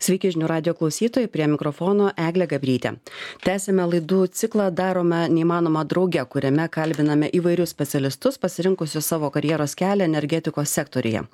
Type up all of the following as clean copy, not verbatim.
Sveiki žinių radio klausytojai, prie mikrofono Eglė Gabrytė. Tęsime laidų ciklą Darome neįmanomą drauge, kuriame kalbiname įvairius specialistus pasirinkusius savo karjeros kelią energetikos sektoriuje.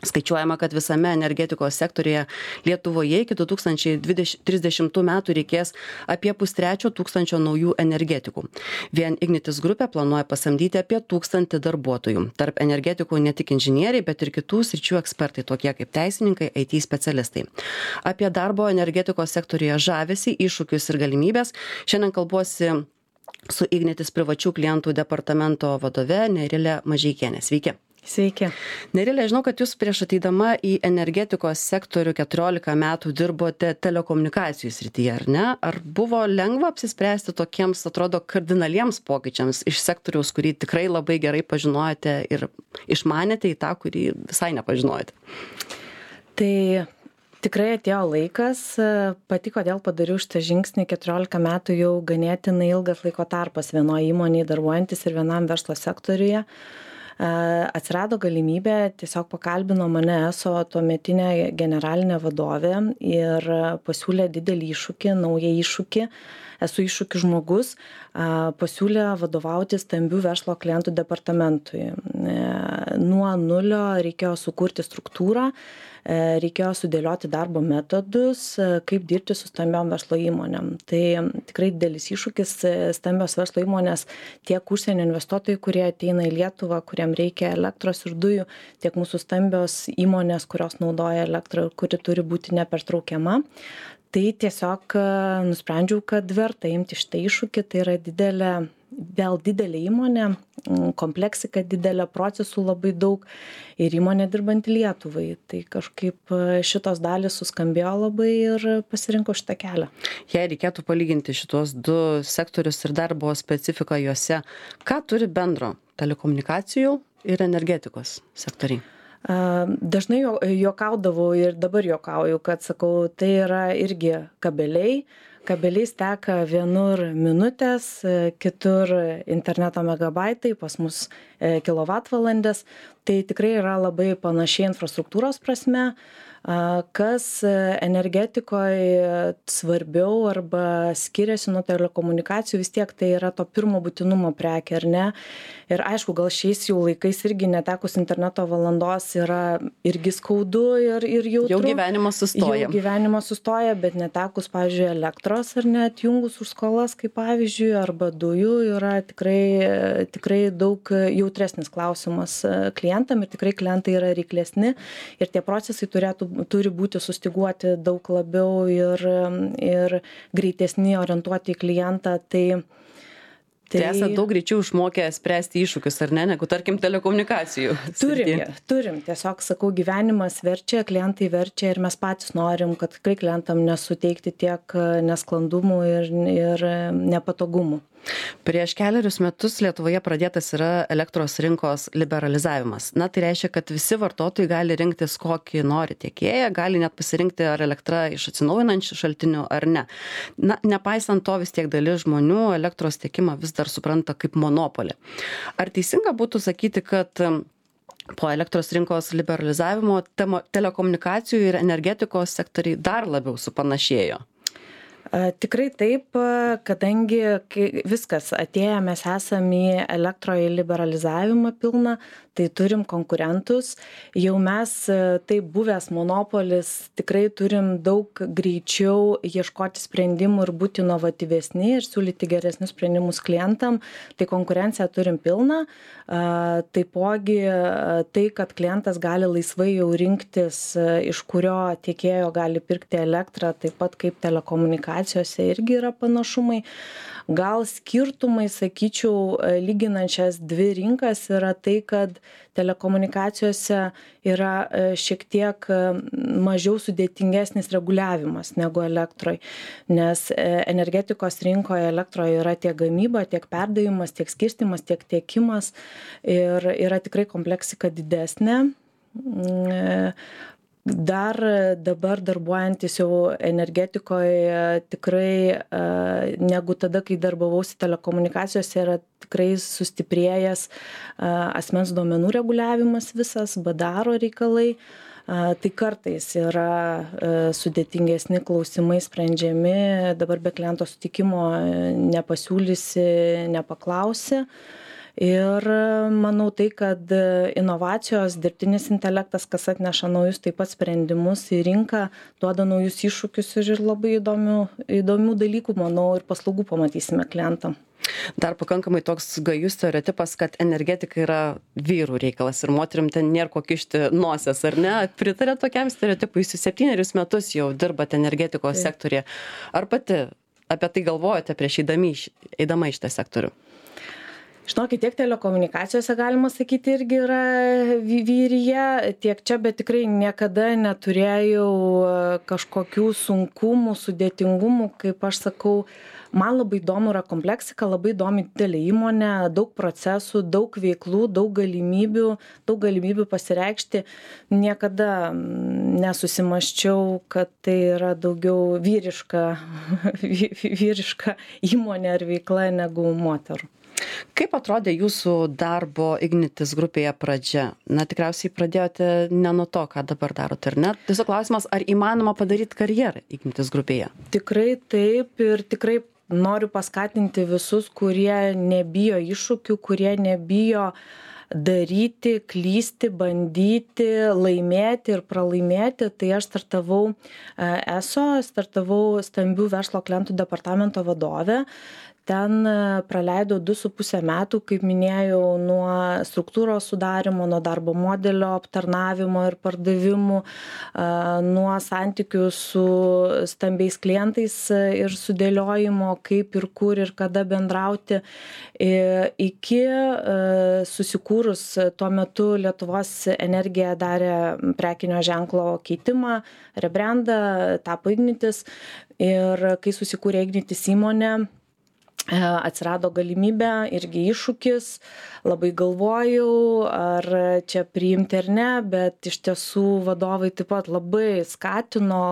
Skaičiuojama, kad visame energetikos sektoriuje Lietuvoje iki 2030 metų reikės apie 530 naujų energetikų. Vien Ignitis grupė planuoja pasamdyti apie 1000 darbuotojų. Tarp energetikų ne tik inžinieriai, bet ir kitų sričių ekspertai, tokie kaip teisininkai, IT specialistai. Apie darbo energetikos sektoriuje žavesį, iššūkius ir galimybės šiandien kalbuosi su Ignitis privačių klientų departamento vadove Nerilė Mažeikienė. Sveiki. Sveiki. Nerilė, žinau, kad jūs prieš ateidama į energetikos sektorių 14 metų dirbote telekomunikacijų srityje, ar ne? Ar buvo lengva apsispręsti tokiems, atrodo, kardinaliems pokyčiams iš sektoriaus, kurį tikrai labai gerai pažinojate ir išmanėte į tą, kurį visai nepažinojate? Tai tikrai atėjo laikas, pati kodėl padariau šitą žingsnį, 14 metų jau ganėtinai ilgas laiko tarpas vienoje įmonėje darbuojantis ir vienam verslo sektoriuje. Atsirado galimybė, tiesiog pakalbino mane ESO tuometinė generalinė vadovė ir pasiūlė didelį iššūkį, naują iššūkį. Esu iššūkių žmogus, pasiūlė vadovauti stambių verslo klientų departamentui. Nuo nulio reikėjo sukurti struktūrą, reikėjo sudėlioti darbo metodus, kaip dirbti su stambiom verslo įmonėm. Tai tikrai didelis iššūkis, stambios verslo įmonės, tiek užsienio investuotojai, kurie ateina į Lietuvą, kuriem reikia elektros ir dujų, tiek mūsų stambios įmonės, kurios naudoja elektrą, kuri turi būti nepertraukiama. Tai tiesiog nusprendžiau, kad verta imti šitą iššūkį, tai yra didelė įmonė, kompleksika didelė, procesų labai daug ir įmonė dirbanti Lietuvai. Tai kažkaip šitos dalys suskambėjo labai ir pasirinkau šitą kelią. Jei reikėtų palyginti šitos du sektorius ir darbo specifiką juose, ką turi bendro telekomunikacijų ir energetikos sektoriai? Dažnai juokaudavau ir dabar juokauju, kad sakau, tai yra irgi kabeliai. Kabeliais teka vienur minutės, kitur interneto megabaitai, pas mus kilovatvalandės. Tai tikrai yra labai panašiai infrastruktūros prasme. Kas energetikoje svarbiau arba skiriasi nuo telekomunikacijų, vis tiek tai yra to pirmo būtinumo prekė, ar ne? Ir aišku, gal šiais jau laikais irgi netekus interneto valandos yra irgi skaudu ir jautru. Jau gyvenimas sustoja. Jau gyvenimas sustoja, bet netekus, pavyzdžiui, elektros ar net jungus už skolas, kaip pavyzdžiui, arba dujų yra tikrai daug jautresnis klausimas klientam ir tikrai klientai yra reiklesni ir tie procesai turi būti sustiguoti daug labiau ir greitesni orientuoti į klientą. Tai esate daug greičiau išmokę spręsti iššūkius, ar ne, negu tarkim telekomunikacijų. Turim. Tiesiog sakau, gyvenimas verčia, klientai verčia ir mes patys norim, kad tikrai klientam nesuteikti tiek nesklandumų ir nepatogumų. Prieš kelerius metus Lietuvoje pradėtas yra elektros rinkos liberalizavimas. Tai reiškia, kad visi vartotojai gali rinktis kokį nori tiekėją, gali net pasirinkti ar elektra iš atsinaujinančių šaltinių ar ne. Nepaisant to, vis tiek dalis žmonių elektros tiekimą vis dar supranta kaip monopolį. Ar teisinga būtų sakyti, kad po elektros rinkos liberalizavimo telekomunikacijų ir energetikos sektoriai dar labiau supanašėjo? Tikrai taip, kadangi viskas atėję, mes esame į elektroje liberalizavimą pilną, tai turim konkurentus. Jau mes, taip buvęs monopolis, tikrai turim daug greičiau ieškoti sprendimų ir būti inovatyvesni ir siūlyti geresnius sprendimus klientam. Tai konkurenciją turim pilną. Taipogi tai, kad klientas gali laisvai jau rinktis, iš kurio tiekėjo gali pirkti elektrą, taip pat kaip telekomunikacijose irgi yra panašumai. Gal skirtumai, sakyčiau, lyginant šias dvi rinkas yra tai, kad telekomunikacijose yra šiek tiek mažiau sudėtingesnis reguliavimas negu elektroje, nes energetikos rinkoje elektroje yra tiek gamyba, tiek perdavimas, tiek skirstymas, tiek tiekimas ir yra tikrai kompleksika didesnė. Dar dabar darbuojantis jau energetikoje tikrai negu tada, kai darbavausi telekomunikacijose, yra tikrai sustiprėjęs asmens duomenų reguliavimas visas, BDR reikalai. Tai kartais yra sudėtingesni klausimai sprendžiami, dabar be kliento sutikimo nepasiūlysi, nepaklausi. Ir manau tai, kad inovacijos, dirbtinis intelektas, kas atneša naujus taip pat sprendimus į rinką, duoda naujus iššūkius ir labai įdomių dalykų, manau, ir paslaugų pamatysime klientam. Dar pakankamai toks gajus stereotipas, kad energetika yra vyrų reikalas ir moterim ten nėra ko kišti nosies, ar ne? Pritarė tokiam stereotipui, jūs 7 metus jau dirbate energetikos sektorėje. Ar pati apie tai galvojate prieš eidama į šitą sektorių? Žinokit, tiek telekomunikacijose galima sakyti irgi yra vyryje, tiek čia, bet tikrai niekada neturėjau kažkokių sunkumų, sudėtingumų, kaip aš sakau. Man labai įdomu yra kompleksika, labai įdomi didelė įmonė, daug procesų, daug veiklų, daug galimybių pasireikšti. Niekada nesusimąsčiau, kad tai yra daugiau vyriška įmonė ar veikla negu moterų. Kaip atrodė jūsų darbo Ignitis grupėje pradžia? Na, tikriausiai pradėjote ne nuo to, ką dabar darote, ar ne? Tiesiog klausimas, ar įmanoma padaryti karjerą Ignitis grupėje? Tikrai taip ir tikrai noriu paskatinti visus, kurie nebijo iššūkių, kurie nebijo daryti, klysti, bandyti, laimėti ir pralaimėti. Tai aš startavau stambių verslo klientų departamento vadovė. Ten praleidau 2,5 metų, kaip minėjau, nuo struktūros sudarimo, nuo darbo modelio aptarnavimo ir pardavimų, nuo santykių su stambiais klientais ir sudėliojimo, kaip ir kur ir kada bendrauti, iki susikūrus tuo metu Lietuvos Energija darė prekinio ženklo keitimą, rebrandą, tapo Ignitis ir kai susikūrė Ignitis įmonė, atsirado galimybė, irgi iššūkis, labai galvojau, ar čia priimti ar ne, bet iš tiesų vadovai taip pat labai skatino,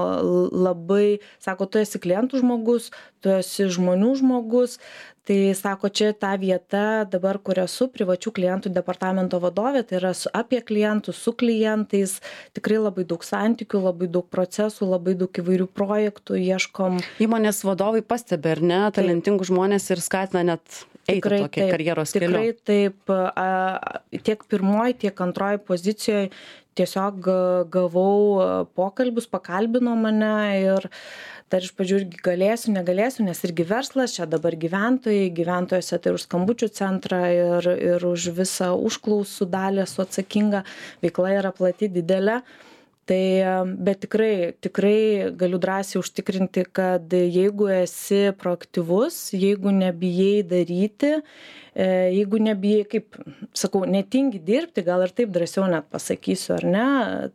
labai, sako, tu esi klientų žmogus, tu esi žmonių žmogus, tai sako, čia ta vieta dabar, kur esu, privačių klientų departamento vadovė, tai yra apie klientus, su klientais, tikrai labai daug santykių, labai daug procesų, labai daug įvairių projektų, ieškom. Įmonės vadovai pastebi, ar ne, talentingų žmonės ir skatina net eiti tokį karjeros keliu. Tikrai taip, tiek pirmoji, tiek antroji pozicijoje tiesiog gavau pokalbius, pakalbino mane ir dar iš pradžių irgi galėsiu, negalėsiu, nes irgi verslas, čia dabar gyventojose tai už skambučių centrą ir už visą užklausų dalį esu atsakinga, veikla yra plati, didelė. Tai, bet tikrai galiu drąsiai užtikrinti, kad jeigu esi proaktyvus, jeigu nebijai daryti, jeigu nebijai, kaip sakau, netingi dirbti, gal ir taip drąsiau net pasakysiu, ar ne,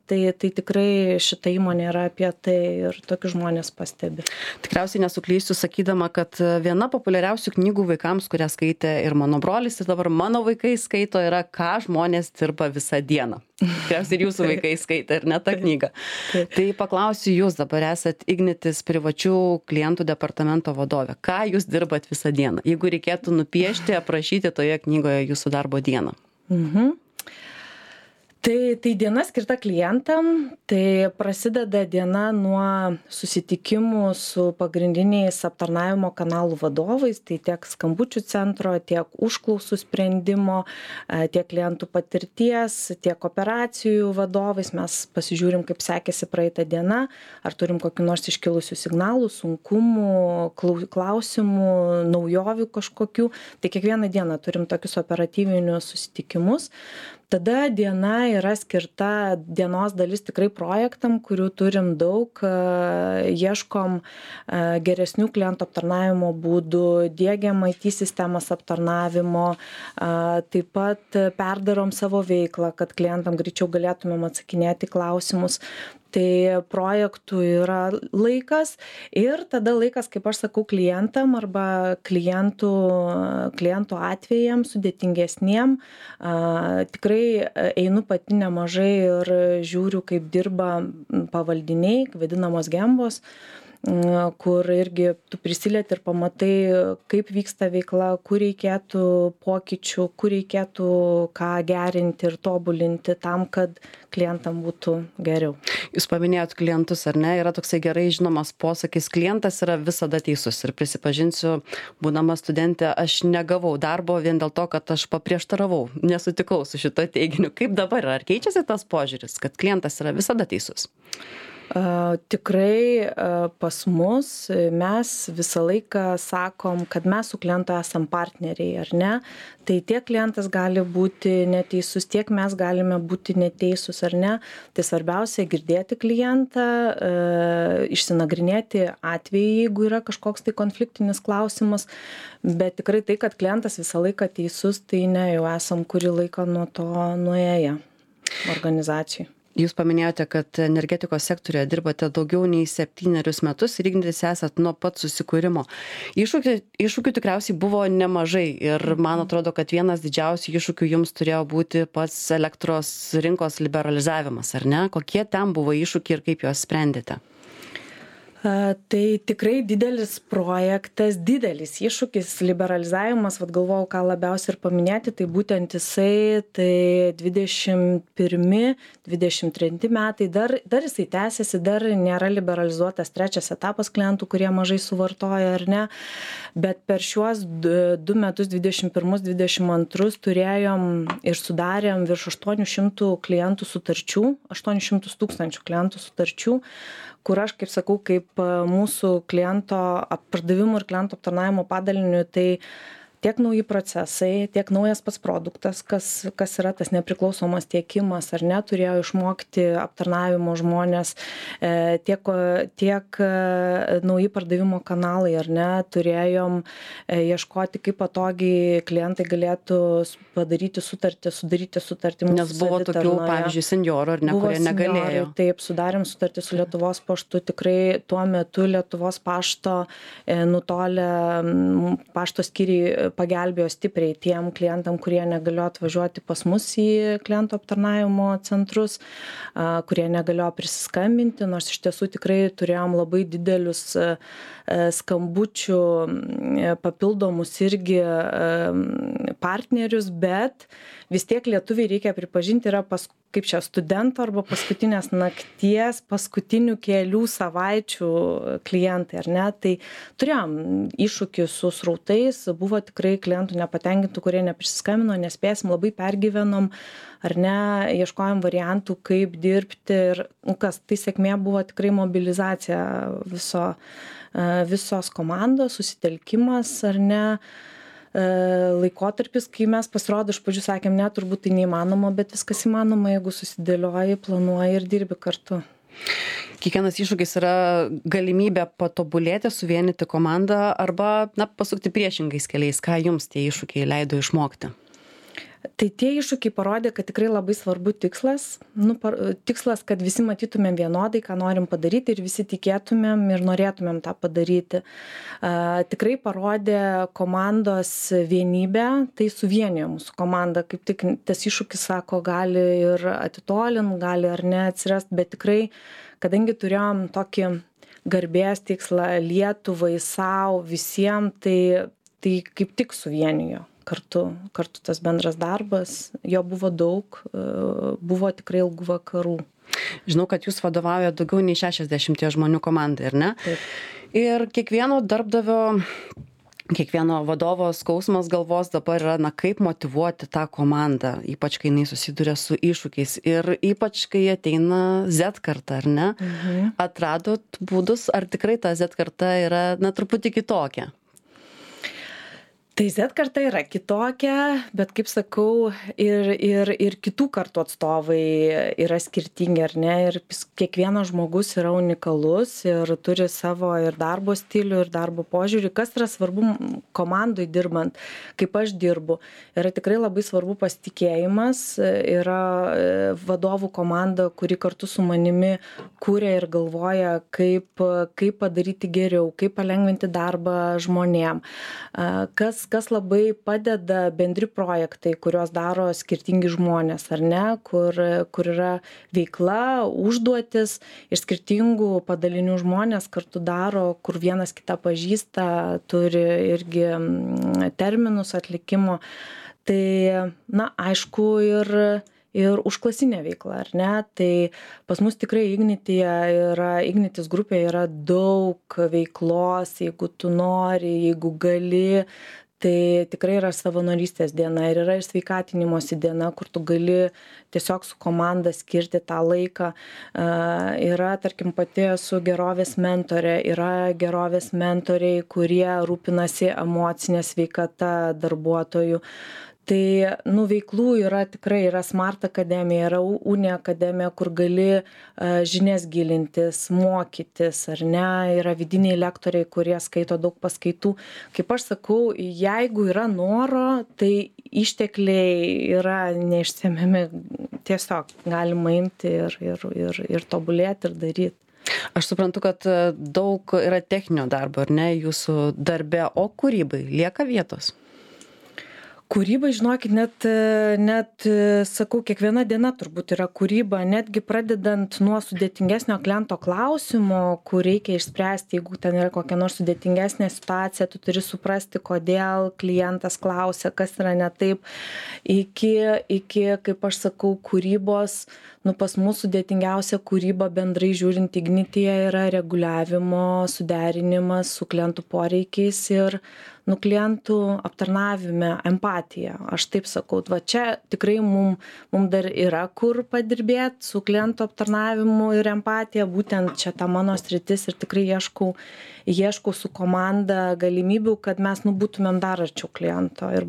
tai tikrai šita įmonė yra apie tai ir tokius žmonės pastebi. Tikriausiai nesuklysiu sakydama, kad viena populiariausių knygų vaikams, kurią skaitė ir mano brolis, ir dabar mano vaikai skaito, yra Ką žmonės dirba visą dieną. Tikriausiai ir jūsų vaikai skaitė, ir ne tą knygą. Tai paklausiu jūs, dabar esat Ignitis privačių klientų departamento vadovė. Ką jūs dirbat visą dieną? Jeigu reikėtų nupiešti, aprašyti toje knygoje jūsų darbo dieną. Tai diena skirta klientam, tai prasideda diena nuo susitikimų su pagrindiniais aptarnavimo kanalų vadovais, tai tiek skambučių centro, tiek užklausų sprendimo, tiek klientų patirties, tiek operacijų vadovais. Mes pasižiūrim, kaip sekėsi praeitą dieną, ar turim kokių nors iškilusių signalų, sunkumų, klausimų, naujovių kažkokių. Tai kiekvieną dieną turim tokius operatyvinius susitikimus. Tada diena yra skirta, dienos dalis tikrai projektam, kurių turim daug, ieškom geresnių klientų aptarnavimo būdų, diegiam IT sistemas aptarnavimo, taip pat perdarom savo veiklą, kad klientam greičiau galėtumėm atsakinėti klausimus. Tai projektų yra laikas ir tada laikas, kaip aš sakau, klientam arba klientų atvejams sudėtingesniem. Tikrai einu pati nemažai ir žiūriu, kaip dirba pavaldiniai, vadinamos gembos. kur irgi tu prisilieti ir pamatai, kaip vyksta veikla, kur reikėtų pokyčių, kur reikėtų ką gerinti ir tobulinti tam, kad klientam būtų geriau. Jūs paminėjot klientus, ar ne? Yra toksai gerai žinomas posakis, klientas yra visada teisus. Ir prisipažinsiu, būdama studentė, aš negavau darbo vien dėl to, kad aš paprieštaravau, nesutikau su šito teiginiu. Kaip dabar, ar keičiasi tas požiūris, kad klientas yra visada teisus? Tikrai pas mus mes visą laiką sakom, kad mes su klientu esam partneriai, ar ne? Tai tiek klientas gali būti neteisus, tiek mes galime būti neteisūs, ar ne? Tai svarbiausia girdėti klientą, išsinagrinėti atvejį, jeigu yra kažkoks tai konfliktinis klausimas, bet tikrai tai, kad klientas visą laiką teisus, tai ne, jau esam kurį laiką nuo to nuėję organizacijai. Jūs paminėjote, kad energetikos sektoriuje dirbate daugiau nei 7 metus ir ignitis esat nuo pat susikūrimo. Iššūkių tikriausiai buvo nemažai ir man atrodo, kad vienas didžiausių iššūkių jums turėjo būti pats elektros rinkos liberalizavimas, ar ne? Kokie ten buvo iššūkiai ir kaip juos sprendėte? Tai tikrai didelis projektas, didelis iššūkis, liberalizavimas, galvojau, ką labiausiai ir paminėti, tai būtent jisai, tai 21-23 metai, dar jisai tęsiasi, dar nėra liberalizuotas trečias etapas klientų, kurie mažai suvartoja, ar ne, bet per šiuos 2 metus, 21-22, turėjom ir sudarėm virš 800 klientų sutarčių, 800 tūkstančių klientų sutarčių, kur aš, kaip sakau, kaip mūsų kliento pardavimų ir klientų aptarnavimo padalinių, tai tiek nauji procesai, tiek naujas pats produktas, kas yra tas nepriklausomas tiekimas, ar ne, turėjo išmokti aptarnavimo žmonės, tiek nauji pardavimo kanalai, ar ne, turėjom ieškoti, kaip patogiai klientai galėtų padaryti sutartį, sudaryti sutartį. Nes buvo tokių, pavyzdžiui, senjorų, ar ne, kurie negalėjo. Taip, sudarėm sutartį su Lietuvos paštu, tikrai tuo metu Lietuvos pašto nutolę pašto skyriai pagelbėjo stipriai tiem klientam, kurie negalėjo atvažiuoti pas mus į klientų aptarnavimo centrus, kurie negalėjo prisiskambinti, nors iš tiesų tikrai turėjom labai didelius skambučių papildomus irgi partnerius, bet vis tiek lietuviai, reikia pripažinti, yra kaip čia studento arba paskutinės nakties, paskutinių kelių savaičių klientai, ar ne? Tai turėjom iššūkį su srautais, buvo tikrai klientų nepatenkintų, kurie neprisiskambino, nespėsim, labai pergyvenom, ar ne, ieškojom variantų, kaip dirbti ir tai sėkmė buvo tikrai mobilizacija visos komandos, susitelkimas, ar ne, laikotarpis, kai mes pasirodo iš pradžių sakėm, ne, turbūt tai neįmanoma, bet viskas įmanoma, jeigu susidėlioji, planuoji ir dirbi kartu. Kiekvienas iššūkis yra galimybė patobulėti, suvienyti komandą arba pasukti priešingais keliais. Ką jums tie iššūkiai leido išmokti? Tai tie iššūkiai parodė, kad tikrai labai svarbu tikslas, tikslas, kad visi matytumėm vienodai, ką norim padaryti ir visi tikėtumėm ir norėtumėm tą padaryti. Tikrai parodė komandos vienybę, tai suvienijo mūsų komandą, kaip tik tas iššūkis, sako, gali ir atitolint, gali ar ne atsirast, bet tikrai, kadangi turėjom tokį garbės tikslą Lietuvai, savo, visiems, tai kaip tik suvienijo. Kartu tas bendras darbas, jo buvo daug, buvo tikrai ilgų vakarų. Žinau, kad jūs vadovaujate daugiau nei 60 žmonių komandai, ar ne? Taip. Ir kiekvieno darbdavio, kiekvieno vadovo skausmas galvos dabar yra, kaip motyvuoti tą komandą, ypač kai jinai susiduria su iššūkiais ir ypač kai ateina Z karta, ar ne? Mhm. Atradot būdus, ar tikrai ta Z karta yra, truputį kitokia? Tai Z karta yra kitokia, bet kaip sakau, ir kitų kartų atstovai yra skirtingi, ar ne? Ir kiekvienas žmogus yra unikalus ir turi savo ir darbo stilių, ir darbo požiūrį. Kas yra svarbu komandai dirbant, kaip aš dirbu, yra tikrai labai svarbu pasitikėjimas, yra vadovų komanda, kuri kartu su manimi kūrė ir galvoja, kaip padaryti geriau, kaip palengvinti darbą žmonėm. Kas kas labai padeda bendri projektai, kuriuos daro skirtingi žmonės, ar ne, kur yra veikla, užduotis ir skirtingų padalinių žmonės kartu daro, kur vienas kitą pažįsta, turi irgi terminus atlikimo. Tai, na, aišku, ir užklasinė veikla, ar ne? Tai pas mus tikrai Ignitis grupėje yra daug veiklos, jeigu tu nori, jeigu gali, tai tikrai yra savanorystės diena ir yra ir sveikatinimosi diena, kur tu gali tiesiog su komanda skirti tą laiką. Yra, tarkim, pati esu gerovės mentorė, yra gerovės mentoriai, kurie rūpinasi emocinė sveikata darbuotojų. Tai, veiklų yra Smart Akademija, yra Uni Akademija, kur gali žinias gilintis, mokytis, ar ne, yra vidiniai lektoriai, kurie skaito daug paskaitų. Kaip aš sakau, jeigu yra noro, tai ištekliai yra neišsemiami, tiesiog galima imti ir tobulėti ir daryti. Aš suprantu, kad daug yra techninio darbo, ar ne, jūsų darbe, o kūrybai lieka vietos? Kūryba, žinokit, net sakau, kiekviena diena turbūt yra kūryba, netgi pradedant nuo sudėtingesnio kliento klausimo, kur reikia išspręsti, jeigu ten yra kokia nors sudėtingesnė situacija, tu turi suprasti, kodėl klientas klausia, kas yra ne taip, iki, kaip aš sakau, kūrybos, pas mūsų sudėtingiausia kūryba bendrai žiūrint Ignityje yra reguliavimo suderinimas su klientų poreikiais ir klientų aptarnavime empatija. Aš taip sakau, va čia tikrai mum dar yra kur padirbėti su klientų aptarnavimu ir empatija, būtent čia ta mano sritis ir tikrai ieškau su komanda galimybių, kad mes būtumėm dar arčiau kliento ir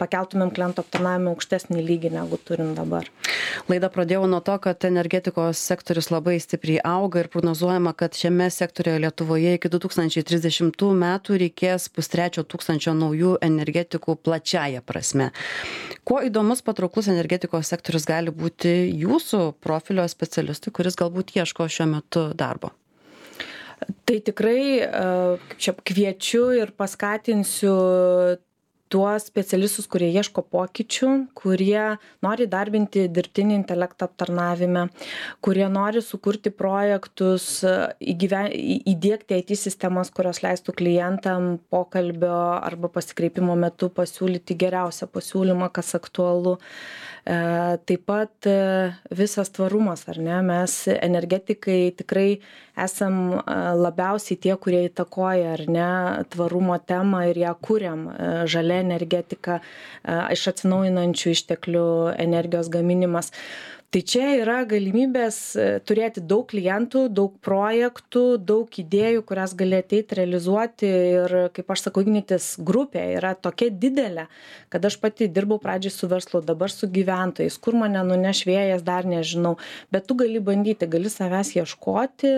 pakeltumėm klientų aptarnavimą aukštesnį lygį, negu turim dabar. Laidą pradėjau nuo to, kad energetikos sektorius labai stipriai auga ir prognozuojama, kad šiame sektoriuje Lietuvoje iki 2030 metų reikės 530 naujų energetikų plačiaja prasme. Kuo įdomus, patrauklus energetikos sektorius gali būti jūsų profilio specialistui, kuris galbūt ieško šiuo metu darbo? Tai tikrai kviečiu ir paskatinsiu tuos specialistus, kurie ieško pokyčių, kurie nori darbinti dirbtinį intelektą aptarnavime, kurie nori sukurti projektus, įdiegti IT sistemas, kurios leistų klientam pokalbio arba pasikreipimo metu pasiūlyti geriausią pasiūlymą, kas aktualu. Taip pat visas tvarumas, ar ne? Mes energetikai tikrai esam labiausiai tie, kurie įtakoja, ar ne, tvarumo temą ir ją kuriam. Žalia energetika, iš atsinaujinančių išteklių energijos gaminimas. Tai čia yra galimybės turėti daug klientų, daug projektų, daug idėjų, kurias gali ateiti realizuoti ir, kaip aš sakau, Ignitis grupė yra tokia didelė, kad aš pati dirbau pradžiai su verslu, dabar su gyventojais, kur mane nuneš vėjas, dar nežinau, bet tu gali bandyti, gali savęs ieškoti,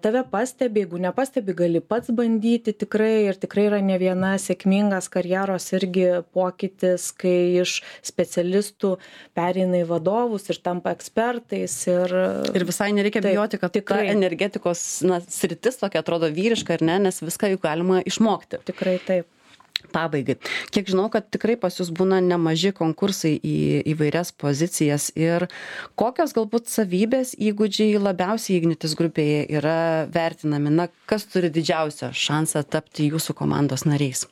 tave pastebi, jeigu nepastebi, gali pats bandyti tikrai ir tikrai yra ne viena sėkmingas karjeros irgi pokytis, kai iš specialistų pereina į vadovus ir tampa ekspertais ir visai nereikia bijoti, kad tikrai ta energetikos sritis tokia atrodo vyriška, ar ne, nes viską juk galima išmokti. Tikrai taip. Pabaigai. Kiek žinau, kad tikrai pas jūs būna nemaži konkursai į įvairias pozicijas ir kokios galbūt savybės, įgūdžiai labiausiai Ignitis grupėje yra vertinami, kas turi didžiausią šansą tapti jūsų komandos nariais?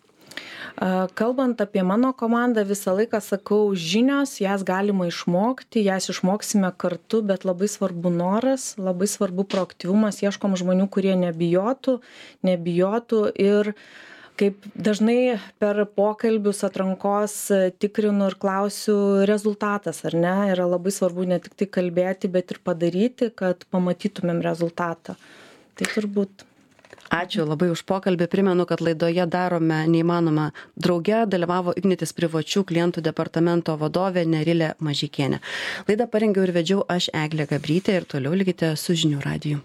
Kalbant apie mano komandą, visą laiką sakau, žinios, jas galima išmokti, jas išmoksime kartu, bet labai svarbu noras, labai svarbu proaktyvumas, ieškom žmonių, kurie nebijotų ir kaip dažnai per pokalbius atrankos tikrinu ir klausiu rezultatas, ar ne, yra labai svarbu ne tik tai kalbėti, bet ir padaryti, kad pamatytumėm rezultatą. Tai turbūt. Ačiū labai už pokalbį. Primenu, kad laidoje Darome neįmanoma drauge dalyvavo Ignitis privačių klientų departamento vadovė Nerilė Mažeikienė. Laidą parengiau ir vedžiau aš, Eglė Gabrytė, ir toliau likite su Žinių radiju.